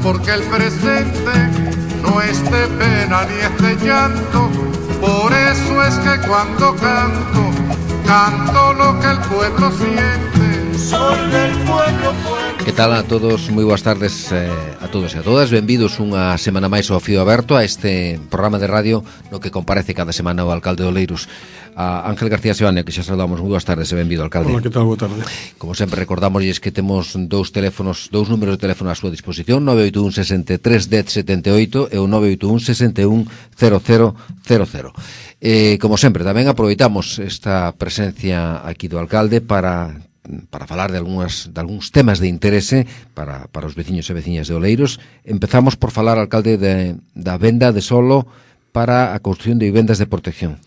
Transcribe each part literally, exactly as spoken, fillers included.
porque el presente no es de pena ni es de llanto. Por eso es que cuando canto, canto lo que el pueblo siente. Soy del pueblo, pueblo. Que tal a todos? Moi boas tardes eh, a todos e a todas. Benvidos unha semana máis ao Fío Aberto, a este programa de radio no que comparece cada semana o alcalde de Oleiros, a Ángel García Seoane, que xa saludamos. Moi boas tardes e benvido, alcalde. Hola, que tal? Boa tarde. Como sempre, recordamosles que temos dous teléfonos, dous números de teléfono á súa disposición, nove oito un sesenta e tres dez setenta e oito e o nove oito un sesenta e un cero cero cero cero. Eh, como sempre, tamén aproveitamos esta presencia aquí do alcalde para para falar de algunhas de algúns temas de interese para, para os veciños e veciñas de Oleiros. Empezamos por falar, alcalde, de, da venda de solo para a construción de vivendas de protección.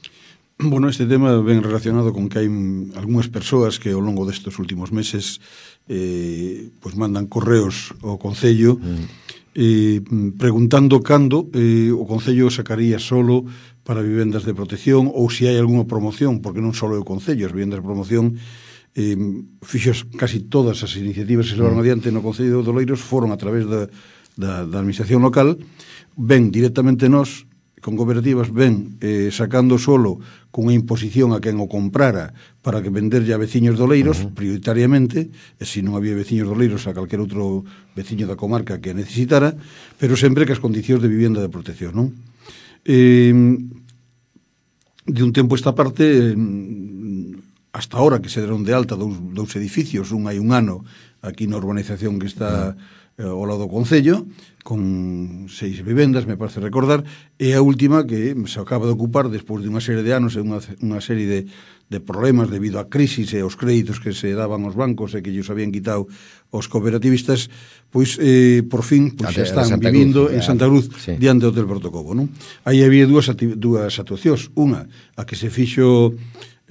Bueno, este tema ven relacionado con que hai algunhas persoas que ao longo destes últimos meses eh, pues mandan correos ao Concello mm. eh, preguntando cando eh, o Concello sacaría solo para vivendas de protección ou se hai algunha promoción, porque non só é o Concello, as vivendas de promoción eh, fixos casi todas as iniciativas que se levaron adiante no Concello de Oleiros foron a través da, da, da administración local. Ven directamente nós con cooperativas, ven eh, sacando solo con unha imposición a quen o comprara para que venderlle a veciños de Oleiros, uh-huh. prioritariamente, e se non había veciños de Oleiros a calquer outro veciño da comarca que a necesitara, pero sempre que as condicións de vivenda de protección, non? Eh, de un tempo esta parte eh, hasta ahora que se deron de alta dous, dous edificios, un hai un ano aquí na urbanización que está eh, ao lado do Concello, con seis vivendas, me parece recordar, e a última que se acaba de ocupar despois de unha serie de anos e unha, unha serie de, de problemas debido á crisis e aos créditos que se daban aos bancos e que ellos habían quitado aos cooperativistas, pois eh, por fin pois, xa están vivindo en Santa Cruz, sí, diante do Hotel Protocobo, non? Aí había dúas, dúas actuacións, unha a que se fixo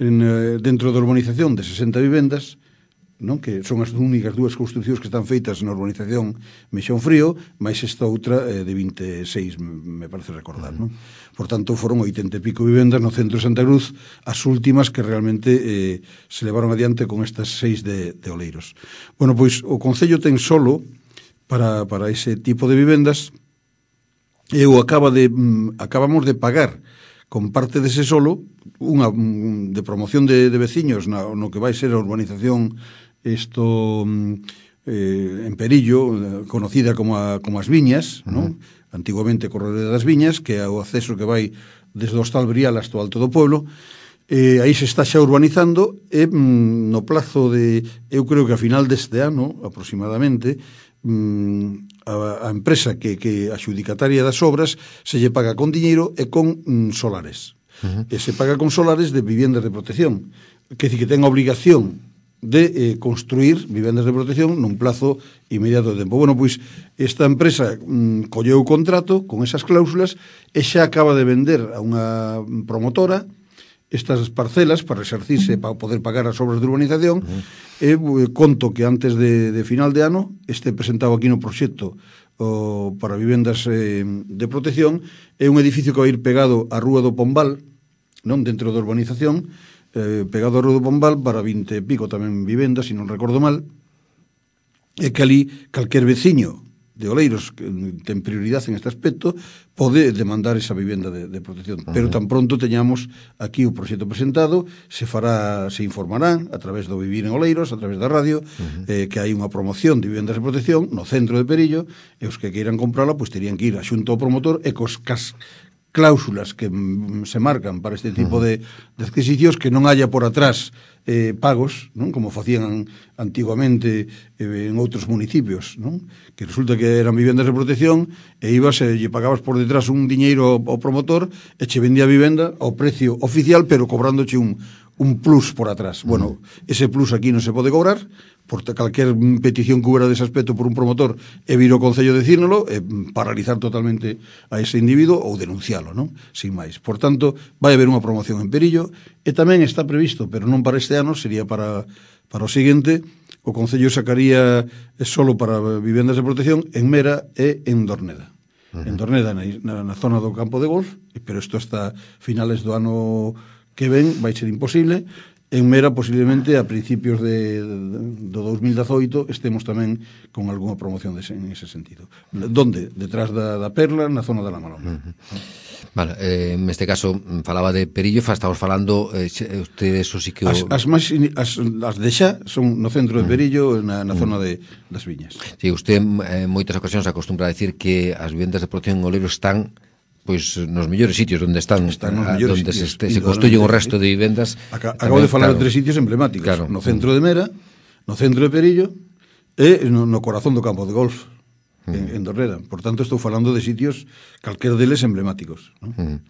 en, dentro da urbanización de sesenta vivendas, non? Que son as únicas dúas construccións que están feitas na urbanización Meixón Frío, máis esta outra eh, de vinte e seis, me parece recordar, non? Por tanto, foron oitenta e pico vivendas no centro de Santa Cruz, as últimas que realmente eh, se levaron adiante con estas seis de, de Oleiros. Bueno, pois o Concello ten solo para, para ese tipo de vivendas e o acaba de, mm, acabamos de pagar con parte dese solo unha de promoción de, de veciños no, no que vai ser a urbanización isto eh, en Perillo, conocida como, a, como as Viñas, uh-huh. non? Antiguamente Corredor das Viñas, que é o acceso que vai desde o Hostal Brial hasta o Alto do Pueblo. Eh, aí se está xa urbanizando e mm, no plazo de, eu creo que a final deste ano aproximadamente, mm, a, a empresa que, que a xudicataria das obras se lle paga con diñeiro e con mm, solares. Uh-huh. E se paga con solares de vivendas de protección, que dicir que ten a obligación de eh, construir vivendas de protección nun plazo inmediato de tempo. Bueno, pois esta empresa mm, colleu o contrato con esas cláusulas e xa acaba de vender a unha promotora estas parcelas para resarcirse, para poder pagar as obras de urbanización. Uh-huh. E eh, conto que antes de, de final de ano este presentado aquí no proxecto o, para vivendas eh, de protección. É un edificio que vai ir pegado á Rúa do Pombal, non, dentro da urbanización, eh, pegado a Rúa do Pombal para vinte e pico tamén vivendas, se non recordo mal, e que ali calquer veciño de Oleiros que ten prioridade en este aspecto pode demandar esa vivenda de, de protección. Uh-huh. Pero tan pronto teñamos aquí o proxecto presentado, se fará, se informarán a través do Vivir en Oleiros, a través da radio, uh-huh. eh, que hai unha promoción de vivendas de protección no centro de Perillo, e os que queiran comprala pois terían que ir a xunto ao promotor e cos cas cláusulas que se marcan para este tipo de, de adquisicións, que non haya por atrás eh, pagos, non, como facían antiguamente eh, en outros municipios, non? Que resulta que eran vivendas de protección e ibas e lle pagabas por detrás un diñeiro ao promotor e che vendía a vivenda ao precio oficial, pero cobrándoche un, un plus por atrás. Bueno, ese plus aquí non se pode cobrar, por calquer petición que hubiera dese aspecto por un promotor e vir ao Concello decírnolo e paralizar totalmente a ese individuo ou denuncialo, non? Sin máis. Por tanto, vai haber unha promoción en Perillo e tamén está previsto, pero non para este ano, sería para, para o seguinte, o Concello sacaría solo para vivendas de protección en Mera e en Dorneda. Uh-huh. En Dorneda, na, na zona do campo de golf, pero isto hasta finales do ano que ven vai ser imposible. en Mera, posiblemente, a principios de, de, do dos mil dezoito, estemos tamén con algunha promoción dese, en ese sentido. Donde? Detrás da, da Perla, na zona da La Malona. Uh-huh. Vale, eh, neste caso, falaba de Perillo, estamos falando, eh, usted, eso sí que... O... As, as, máis, as, as de xa son no centro de Perillo, uh-huh. na, na zona de, das viñas. Sí, usted en moitas ocasións acostumbra a decir que as vivendas de protección en Oleiro están pois nos mellores sitios onde están, están nos a, mellores onde sitios, se, se construyen o resto de vivendas. Acá, acabo de falar claro, de tres sitios emblemáticos, claro, no centro de Mera, no centro de Perillo e no, no corazón do campo de golf, uh-huh. en, en Dorrera. Por tanto, estou falando de sitios calquera deles emblemáticos, ¿no? Uh-huh.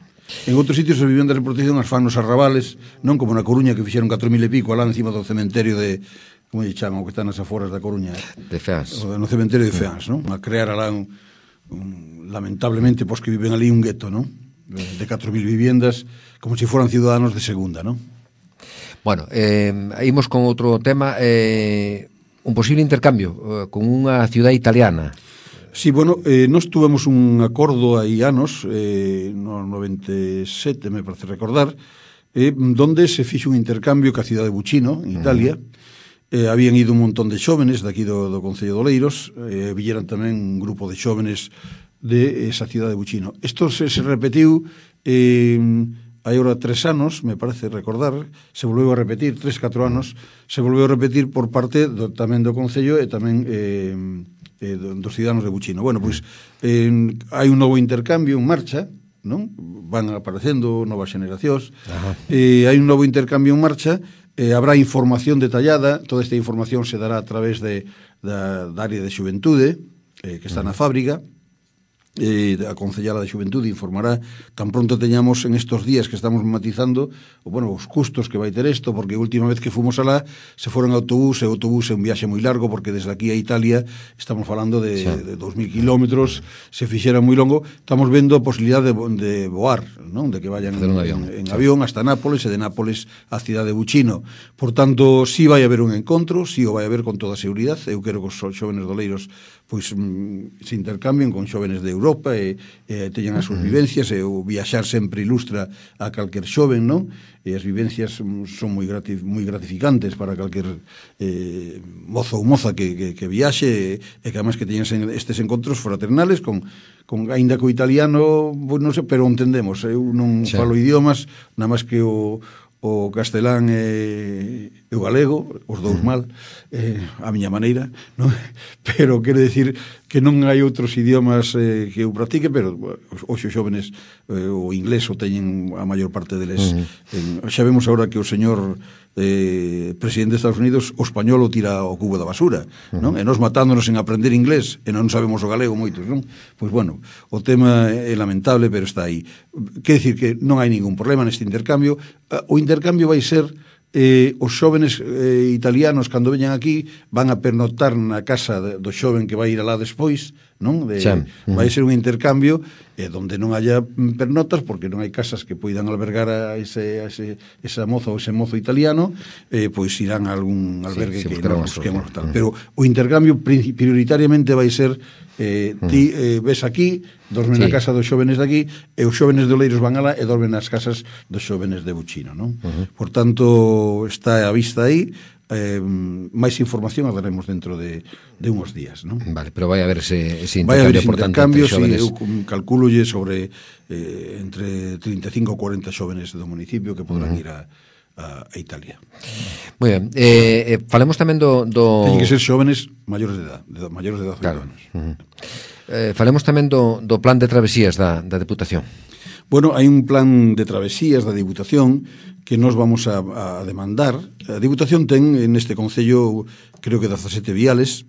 En outros sitios as vivendas de protección as fan nos arrabales, non como na Coruña, que fixeron catro mil e pico alá encima do cementerio de, como lle chaman, o que está nas aforas da Coruña, de Feans, no cementerio de Feans, uh-huh. non? A crear alá un, un, lamentablemente, pois que viven ali un gueto, non? De catro mil viviendas, como se si foran ciudadanos de segunda, non? Bueno, eh, imos con outro tema, eh, un posible intercambio eh, con unha ciudad italiana. Sí, bueno, eh, nos tuvemos un acordo aí anos, eh, no noventa e sete, me parece recordar, eh, donde se fixo un intercambio ca cidade de Buchino, en Italia. Uh-huh. eh, habían ido un montón de xóvenes daqui do, do Concello de Oleiros, eh, villeran tamén un grupo de xóvenes de esa cidade de Buchino. Isto se, se repetiu eh, hai ora tres anos, me parece recordar, se volveu a repetir, tres, catro anos, se volveu a repetir por parte do, tamén do Concello e tamén eh, eh, dos ciudadanos de Buchino. Bueno, pois eh, hai un novo intercambio en marcha, non? Van aparecendo novas xeneracións, eh, hai un novo intercambio en marcha, eh, habrá información detallada, toda esta información se dará a través de, da, da área de xuventude, eh, que está na fábrica, eh, a Concellala de Xuventude informará tan pronto teñamos en estos días que estamos matizando o, bueno, os custos que vai ter isto, porque a última vez que fomos alá se foron autobús, e o autobús é un viaxe moi largo, porque desde aquí a Italia estamos falando de, sí. de dos mil kilómetros, se fixera moi longo. Estamos vendo a posibilidade de, de voar, non? De que vayan en, avión. en, en sí. avión hasta Nápoles, e de Nápoles a cidade de Buchino. Por tanto, si vai haber un encontro, si o vai haber con toda a seguridade. Eu quero que os xóvenes doleiros pois mm, se intercambien con xóvenes de Europa e, e teñan as súas vivencias, e o viaxar sempre ilustra a calquer xoven, non? E as vivencias son moi, gratif moi gratificantes para calquer eh, mozo ou moza que, que, que viaxe, e que además que teñan estes encontros fraternales con, con aínda co italiano, pues, non sei, pero entendemos. Eu non sí. falo idiomas, nada máis que o o castelán e, e o galego, os dous mal, eh, a miña maneira, non? Pero quero decir que non hai outros idiomas eh, que eu practique, pero os xóvenes eh, o inglés o teñen a maior parte deles. Uh-huh. En, xa vemos agora que o señor eh, presidente de Estados Unidos o español o tira ao cubo da basura, non? Uh-huh. E nos matándonos en aprender inglés, e non sabemos o galego moitos, non? Pois bueno, o tema é lamentable, pero está aí. Quer dicir que non hai ningún problema neste intercambio. O intercambio vai ser eh, os xóvenes eh, italianos, cando veñan aquí, van a pernotar na casa de, do xoven que vai ir alá despois, non? De, uh-huh. Vai ser un intercambio eh, donde non haya pernotas, porque non hai casas que poidan albergar a ese, a ese esa moza ou ese mozo italiano, eh, pois irán a algún albergue sí, que non busquemos tal. Uh-huh. Pero o intercambio prioritariamente vai ser eh, ti eh, ves aquí, dormen sí. na casa dos xóvenes de aquí, e os xóvenes de Oleiros van alá e dormen nas casas dos xóvenes de Buchino, non? Uh-huh. Por tanto, está a vista aí. Eh, máis información a daremos dentro de, de uns días, non? Vale, pero vai haber ese, ese intercambio, vai haber ese por tanto, intercambio, entre xóvenes. Sí, eu calculolle sobre eh, entre trinta e cinco ou cuarenta xóvenes do municipio que podrán uh-huh. ir a, a, a Italia. Moi ben, eh, eh, falemos tamén do, do... Teñen que ser xóvenes maiores de edad, de, maiores de edad, claro. anos. Uh-huh. Eh, falemos tamén do, do plan de travesías da, da Deputación. Bueno, hai un plan de travesías da Diputación que nos vamos a, a demandar. A Diputación ten neste Concello, creo que dezasete viales,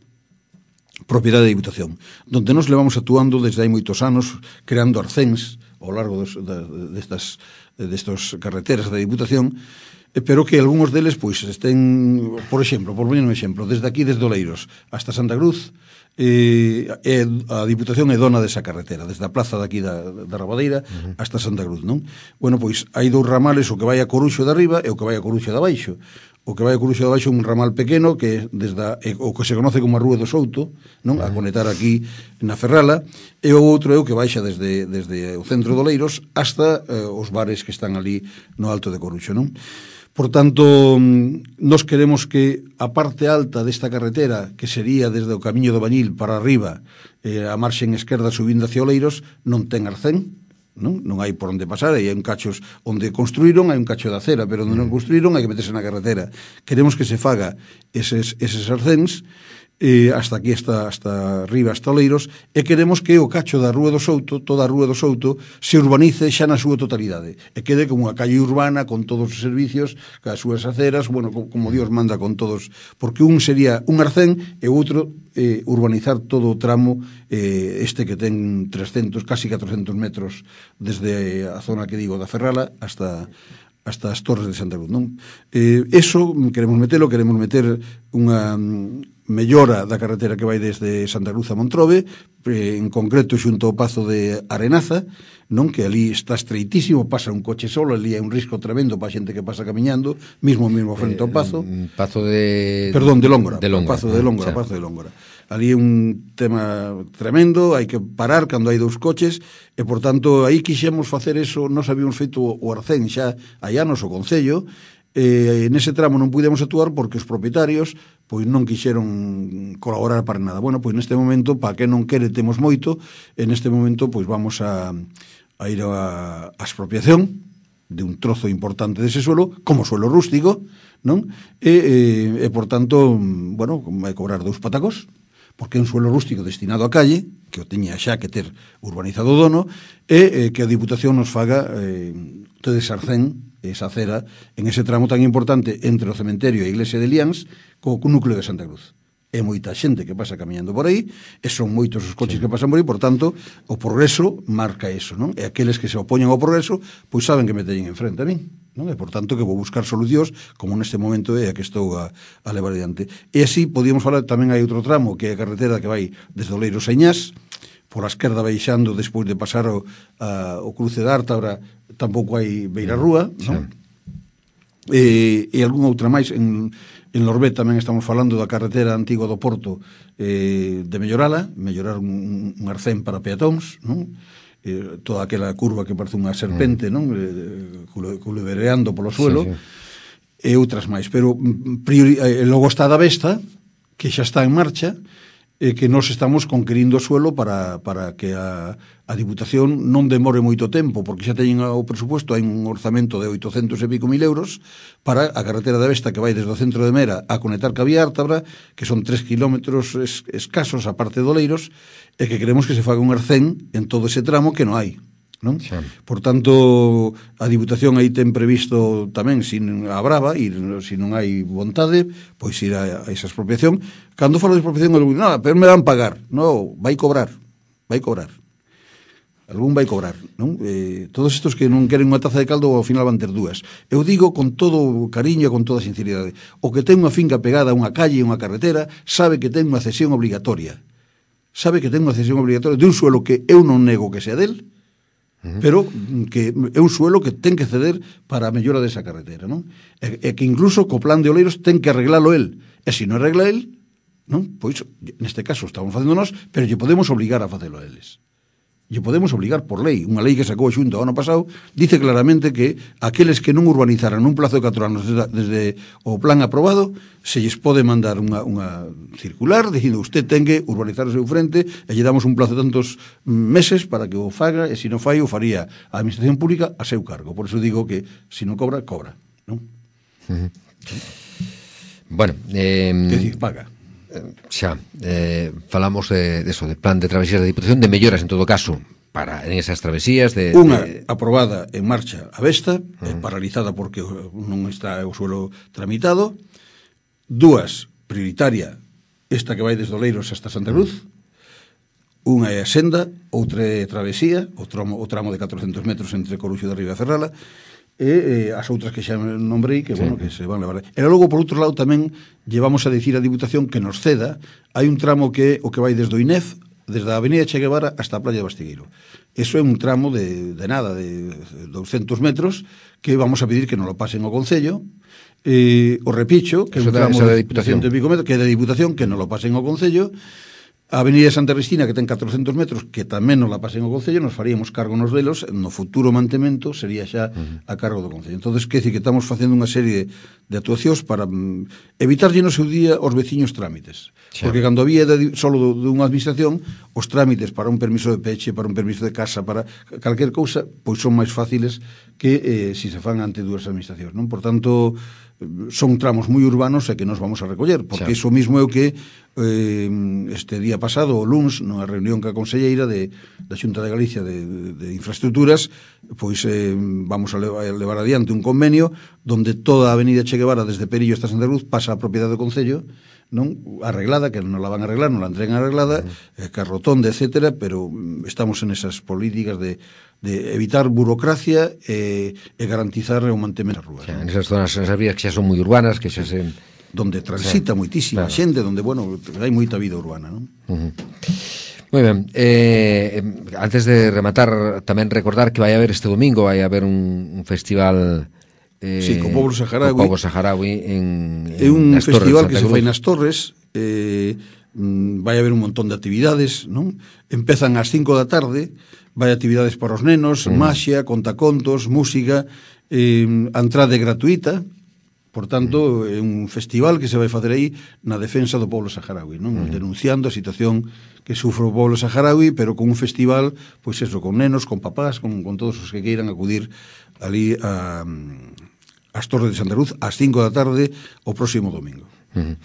propiedade da Diputación, donde nos levamos actuando desde hai moitos anos, creando arcéns ao largo dos, de, destas, destas carreteras da Diputación, pero que algúns deles, pois, estén, por exemplo, por poñer un exemplo, desde aquí, desde Oleiros, hasta Santa Cruz, eh, eh, a Diputación é dona desa carretera, desde a plaza daqui da, da Rabadeira uh-huh. hasta Santa Cruz, non? Bueno, pois, hai dous ramales, o que vai a Coruxo de arriba e o que vai a Coruxo de abaixo. O que vai a Coruxo de abaixo é un ramal pequeno, que desde a, o que se conoce como a Rúa do Souto, non? Uh-huh. A conectar aquí na Ferrala, e o outro é o que baixa desde, desde o centro de Oleiros hasta eh, os bares que están ali no alto de Coruxo, non? Por tanto, nos queremos que a parte alta desta carretera, que sería desde o Camiño do Bañil para arriba, eh, a marxen esquerda subindo hacia Oleiros, non ten arcén, non? Non hai por onde pasar, hai un cachos onde construíron, hai un cacho de acera, pero onde non construíron hai que meterse na carretera. Queremos que se faga eses, eses arcéns, eh, hasta aquí, hasta, hasta arriba, hasta Oleiros, e queremos que o cacho da Rúa do Souto, toda a Rúa do Souto, se urbanice xa na súa totalidade, e quede como unha calle urbana con todos os servicios, as súas aceras, bueno, como Dios manda con todos, porque un sería un arcén e outro eh, urbanizar todo o tramo eh, este que ten trescentos, casi catrocentos metros desde a zona que digo da Ferrala hasta hasta as Torres de Santa Cruz, non? Eh, eso queremos metelo, queremos meter unha mellora da carretera que vai desde Santa Cruz a Montrobe, eh, en concreto xunto ao Pazo de Arenaza, non? Que ali está estreitísimo, pasa un coche solo, ali hai un risco tremendo para a xente que pasa camiñando, mismo mismo frente ao Pazo. Eh, Pazo de... Perdón, de Lóngora. De Lóngora. Pazo de Lóngora, Pazo de Lóngora. Ali é un tema tremendo, hai que parar cando hai dous coches, e, por tanto, aí quixemos facer eso, nós habíamos feito o arcén xa hai anos o Concello, e nese tramo non pudemos actuar porque os propietarios pois non quixeron colaborar para nada. Bueno, pois neste momento, para que non quere temos moito, e neste momento pois vamos a, a ir a, a expropiación de un trozo importante dese suelo, como suelo rústico, non? E, e, e por tanto, bueno, vai cobrar dous patacos, porque é un suelo rústico destinado á calle, que o teña xa que ter urbanizado o dono, e eh, que a Diputación nos faga eh, todo ese arcén, esa acera, en ese tramo tan importante entre o cementerio e a iglesia de Liáns, co, co núcleo de Santa Cruz. É moita xente que pasa camiñando por aí, e son moitos os coches sí. que pasan por aí, por tanto, o progreso marca eso, non? E aqueles que se opoñen ao progreso, pois saben que me teñen enfrente a min, non? E, por tanto, que vou buscar solucións, como neste momento é a que estou a, a levar adiante. E así, podíamos falar, tamén hai outro tramo, que é a carretera que vai desde Oleiros a Iñás, por a esquerda baixando, despois de pasar o, a, o cruce de Ártabra, tampouco hai beira rúa, non? Sí. E, e algunha outra máis, en... En Lorbet tamén estamos falando da carretera antigua do Porto, eh, de mellorala, mellorar un, un arcén para peatóns, non? Eh, toda aquela curva que parece unha serpente, non? Eh, culevereando polo suelo, sí, sí. E outras máis. Pero priori, eh, logo está da Vesta, que xa está en marcha, e que nos estamos conquirindo o suelo para, para que a, a Diputación non demore moito tempo, porque xa teñen o presupuesto, hai un orzamento de oitocentos e pico mil euros para a carretera da Vesta que vai desde o centro de Mera a conectar ca Vía Ártabra, que son tres kilómetros es, escasos a parte de Oleiros, e que queremos que se faga un arcén en todo ese tramo que non hai, non? Sí. Por tanto, a Diputación aí ten previsto tamén, sin a brava, ir, se non hai vontade, pois ir a, a esa expropiación. Cando falo de expropiación, no, pero me van pagar. No, vai cobrar, vai cobrar. Algún vai cobrar, non? Eh, todos estos que non queren unha taza de caldo, ao final van ter dúas. Eu digo con todo o cariño e con toda a sinceridade, o que ten unha finca pegada a unha calle e unha carretera, sabe que ten unha cesión obligatoria. Sabe que ten unha cesión obligatoria de un suelo que eu non nego que sea del, pero que é un suelo que ten que ceder para a mellora desa carretera, non? E, e que incluso co plan de Oleiros ten que arreglalo el, e se non arregla el, non? Pois neste caso estamos facendo nós, pero lle podemos obligar a facelo a eles. Lle podemos obligar por lei. Unha lei que sacou a Xunta o ano pasado dice claramente que aqueles que non urbanizaran nun plazo de catro anos desde, desde o plan aprobado, se lles pode mandar unha, unha circular dicindo usted ten que urbanizar o seu frente e lle damos un plazo de tantos meses para que o faga, e se non fai o faría a administración pública a seu cargo. Por eso digo que se non cobra, cobra, non? Uh-huh. Bueno, eh... que dicir, paga. Xa, eh, falamos de, de eso, de plan de travesías de Diputación, de melloras en todo caso para en esas travesías de, unha de... aprobada en marcha a Vesta, uh-huh. eh, paralizada porque non está o suelo tramitado. Dúas, prioritaria, esta que vai desde Oleiros hasta Santa Cruz. Uh-huh. Unha é a senda, outra é travesía, o tramo, o tramo de catrocentos metros entre Coruxo de Riba e Ferrala, e eh, as outras que xa nombrei que, sí. bueno, que se van levar. E logo, por outro lado, tamén llevamos a dicir a Diputación que nos ceda, hai un tramo que o que vai desde o I N E F, desde a Avenida Che Guevara hasta a Playa de Bastigueiro. Eso é un tramo de, de nada, de douscentos metros, que vamos a pedir que non lo pasen ao Concello. Eh, o Repicho, que é un tramo de Diputación, de pico metros, que é de Diputación, que non lo pasen ao Concello. A Avenida de Santa Cristina, que ten catrocentos metros, que tamén nos la pasen ao Concello, nos faríamos cargo nos delos, no futuro mantemento sería xa a cargo do Concello. Entonces, que decir que estamos facendo unha serie de actuacións para mm, evitarlle no seu día aos veciños trámites. Xa. Porque cando había de, solo dunha administración, os trámites para un permiso de peche, para un permiso de casa, para calquer cousa, pois son máis fáciles que eh, si se fan ante dúas administracións, non? Por tanto, son tramos moi urbanos e que nos vamos a recoller, porque iso mismo é o que eh, este día pasado, o luns, nunha reunión ca conselleira de, da Xunta de Galicia de, de, de Infraestructuras, pois eh, vamos a levar, a levar adiante un convenio donde toda a avenida Che Guevara desde Perillo hasta Santa Cruz pasa a propiedade do Concello, non arreglada, que non la van a arreglar, non la entregan arreglada, uh-huh. eh, carrotonde, etcétera, pero estamos en esas políticas de, de evitar burocracia e, e garantizar o mantemento das rúas. Xa, en esas zonas, en esas vías que xa son moi urbanas, que xa se... Donde transita sí. moitísima claro. xente, donde, bueno, hai moita vida urbana, non? Uh-huh. Moi ben, eh, antes de rematar, tamén recordar que vai haber este domingo, vai haber un, un festival... Eh, sí, co pobo saharaui. Co pobo saharaui en, en é un nas festival que se Cruz. fai nas Torres, eh, vai haber un montón de actividades, non? Empezan ás cinco da tarde, vai actividades para os nenos, mm. maxia, contacontos, música, eh, a entrada é gratuita. Por tanto, é un festival que se vai facer aí na defensa do pobo saharaui, non? Mm. Denunciando a situación que sufre o pobo saharaui, pero con un festival, pois eso, con nenos, con papás, con, con todos os que queiran acudir ali a... as Torres de Santa Cruz ás cinco da tarde o próximo domingo. Uh-huh.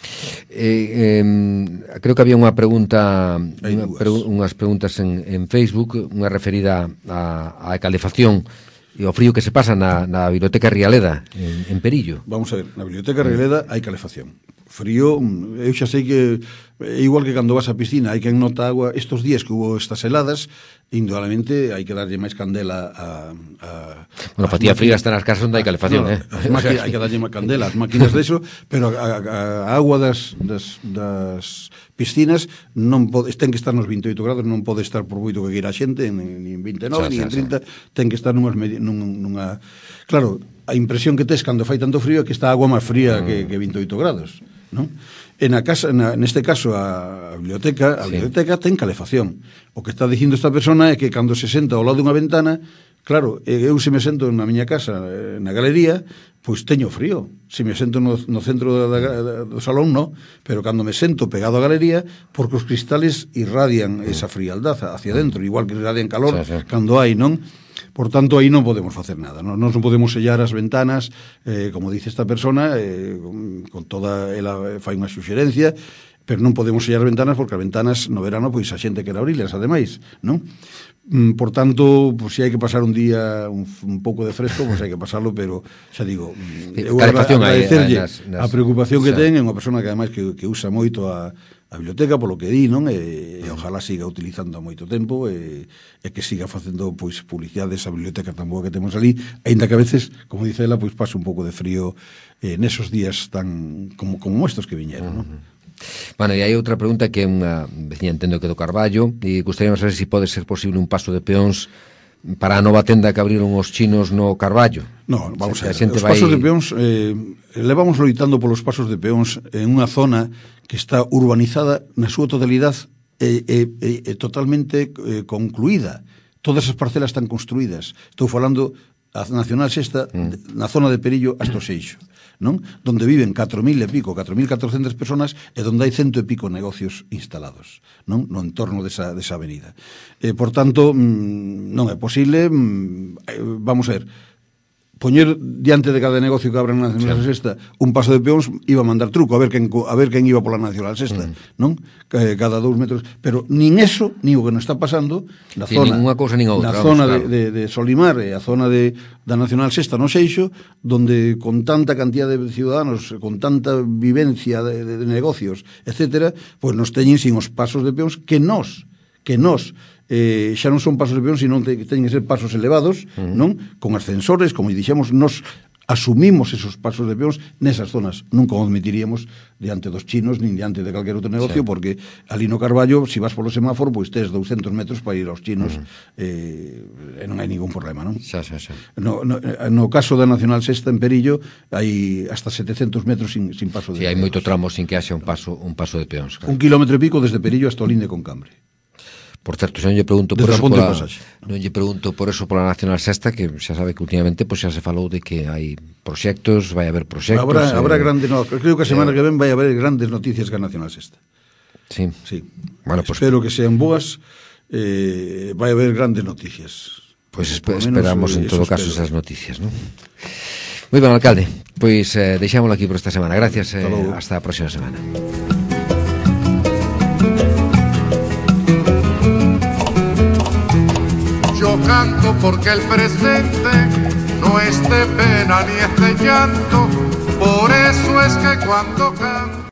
eh, eh, creo que había unha pregunta unha, pregu unhas preguntas en, en Facebook, unha referida á calefacción e ao frío que se pasa na, na Biblioteca Rialeda en, en Perillo. Vamos a ver, na Biblioteca Rialeda hai calefacción. Frío, eu xa sei que é igual que cando vas á piscina, hai que nota agua. Estos días que hubo estas heladas, indudablemente hai que darlle máis candela a... a bueno, fatía frío hasta nas casas onde hai calefacción, no, no, eh? Máquinas, hai que darlle máis candela as máquinas de eso, pero a, a, a agua das, das, das piscinas non pode, ten que estar nos vinte e oito grados, non pode estar por moito que queira a xente, nin en vinte e nove, nin en trinta, ten que estar nunhas, nun, nunha... Claro, a impresión que tes cando fai tanto frío é que está a agua máis fría mm. que, que vinte e oito grados, non? En a casa, na, neste caso a, a biblioteca, a sí. biblioteca ten calefacción. O que está dicindo esta persona é que cando se senta ao lado dunha ventana, claro, eu se me sento na miña casa, na galería, pois teño frío. Se me sento no, no centro da, da, do salón, no, pero cando me sento pegado á galería, porque os cristales irradian esa frialdade hacia dentro, igual que irradian calor sí, sí. cando hai, non? Por tanto, aí non podemos facer nada, non, non podemos sellar as ventanas, eh, como dice esta persona, eh, con, con toda, ela fai unha suxerencia, pero non podemos sellar as ventanas porque as ventanas no verano, pois a xente quere abrilas, ademais, non? Por tanto, pues, se hai que pasar un día un, un pouco de fresco, pues hai que pasarlo, pero xa digo, eu agradecerlle a preocupación que ten, é unha persona que ademais que, que usa moito a a biblioteca, polo que di, non? E, e ojalá siga utilizando moito tempo e, e que siga facendo pois publicidade desa biblioteca tan boa que temos ali, aínda que a veces, como dice ela, pois pasa un pouco de frío eh, nesos días tan como, como estos que viñeron, non? Bueno, e hai outra pregunta que é unha veciña, entendo que do Carballo, e gustaríamos saber se si pode ser posible un paso de peóns para a nova tenda que abriron os chinos no Carballo. No, vamos a ver, os vai... pasos de peóns eh, levamos loitando polos pasos de peóns en unha zona que está urbanizada na súa totalidade e, e, e totalmente eh, concluída. Todas as parcelas están construídas. Estou falando a Nacional Sexta, mm. na zona de Perillo hasta o Seixo, non? Donde viven catro mil e pico, catro mil catrocentas personas e donde hai cento e pico negocios instalados, non? No entorno desa, desa avenida. Eh, por tanto, mmm, non é posible, mmm, vamos a ver, poñer diante de cada negocio que abra na Nacional sí. Sexta un paso de peóns iba a mandar truco a ver quen, a ver quen iba pola Nacional Sexta, mm. non? Cada dous metros, pero nin eso, nin o que nos está pasando na sí, zona, ninguna cousa nin outra, na zona vamos, claro. de, de, de Solimar e a zona de, da Nacional Sexta no Seixo, donde con tanta cantidad de ciudadanos, con tanta vivencia de, de, de negocios, etcétera, pois pues nos teñen sin os pasos de peóns que nos, que nos Eh, xa non son pasos de peóns, sino que teñen que ser pasos elevados, uh -huh. non? Con ascensores, como dixemos, nos asumimos esos pasos de peóns nesas zonas. Nunca o admitiríamos diante dos chinos nin diante de calquer outro negocio, sí. Porque ali no Carballo, se si vas polo semáforo, pois tes douscentos metros para ir aos chinos, uh-huh. eh, e non hai ningún problema, non? Xa, xa, xa. No, no, no caso da Nacional Sexta en Perillo hai hasta setecentos metros sin, sin paso de sí, peóns. Hai moito tramo sin que haxa un paso, un paso de peóns. Claro. Un kilómetro e pico desde Perillo hasta o Linde con Cambre. Por certo, xa non lle pregunto por eso pola, non lle pregunto por eso pola Nacional Sexta, que xa sabe que últimamente pois xa se falou de que hai proxectos, vai haber proxectos. Habrá, eh, habrá grande, no, creo que a semana eh, que ven vai haber grandes noticias que a Nacional Sexta. Sí. Sí. Bueno, pues, espero que sean boas, eh, vai haber grandes noticias. Pois pues esp esperamos menos, en todo caso espero. Esas noticias, ¿no? Moi ben, alcalde. Pois pues, eh, deixámoslo aquí por esta semana. Gracias, eh, hasta a próxima semana. Yo canto porque el presente no es de pena ni es de llanto, por eso es que cuando canto